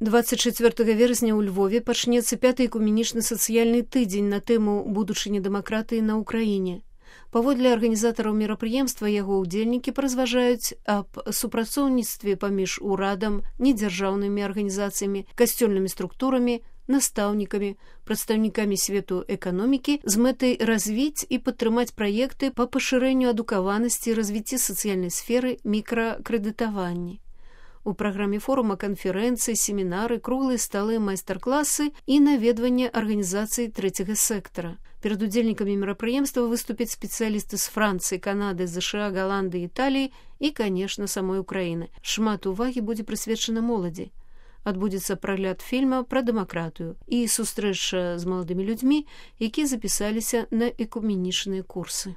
24 верасня ў Львове пачнецца 5-й экуменічны сацыяльны тыдзень на тэму будучыні дэмакратыі на ўкраіне. Паводле арганізатараў мерапрыемства яго ўдзельнікі паразважаюць аб супрацоўніцтве паміж урадам, недзяржаўнымі арганізацыямі, касцёльнымі структурамі, настаўнікамі, прадстаўнікамі свету эканомікі з мэтай развіць і падтрымаць праекты па пашырэнню адукаванасці і развіцці сацыяльнай сферы мікракрэдытавання. У праграме форума канферэнцыі, семінары, круглыя сталы, майстар-класы і наведванне арганізацый трэцяга сектара. Перад удзельнікамі мерапрыемства выступяць спецыялісты з Францыі, Канады, ЗША, Галандыі, Італіі і, канешне, самой Украіны. Шмат увагі будзе прысвечана моладзі. Адбудзецца прагляд фільма пра дэмакратыю і сустрэча з маладымі людзьмі, якія запісаліся на экуменічныя курсы.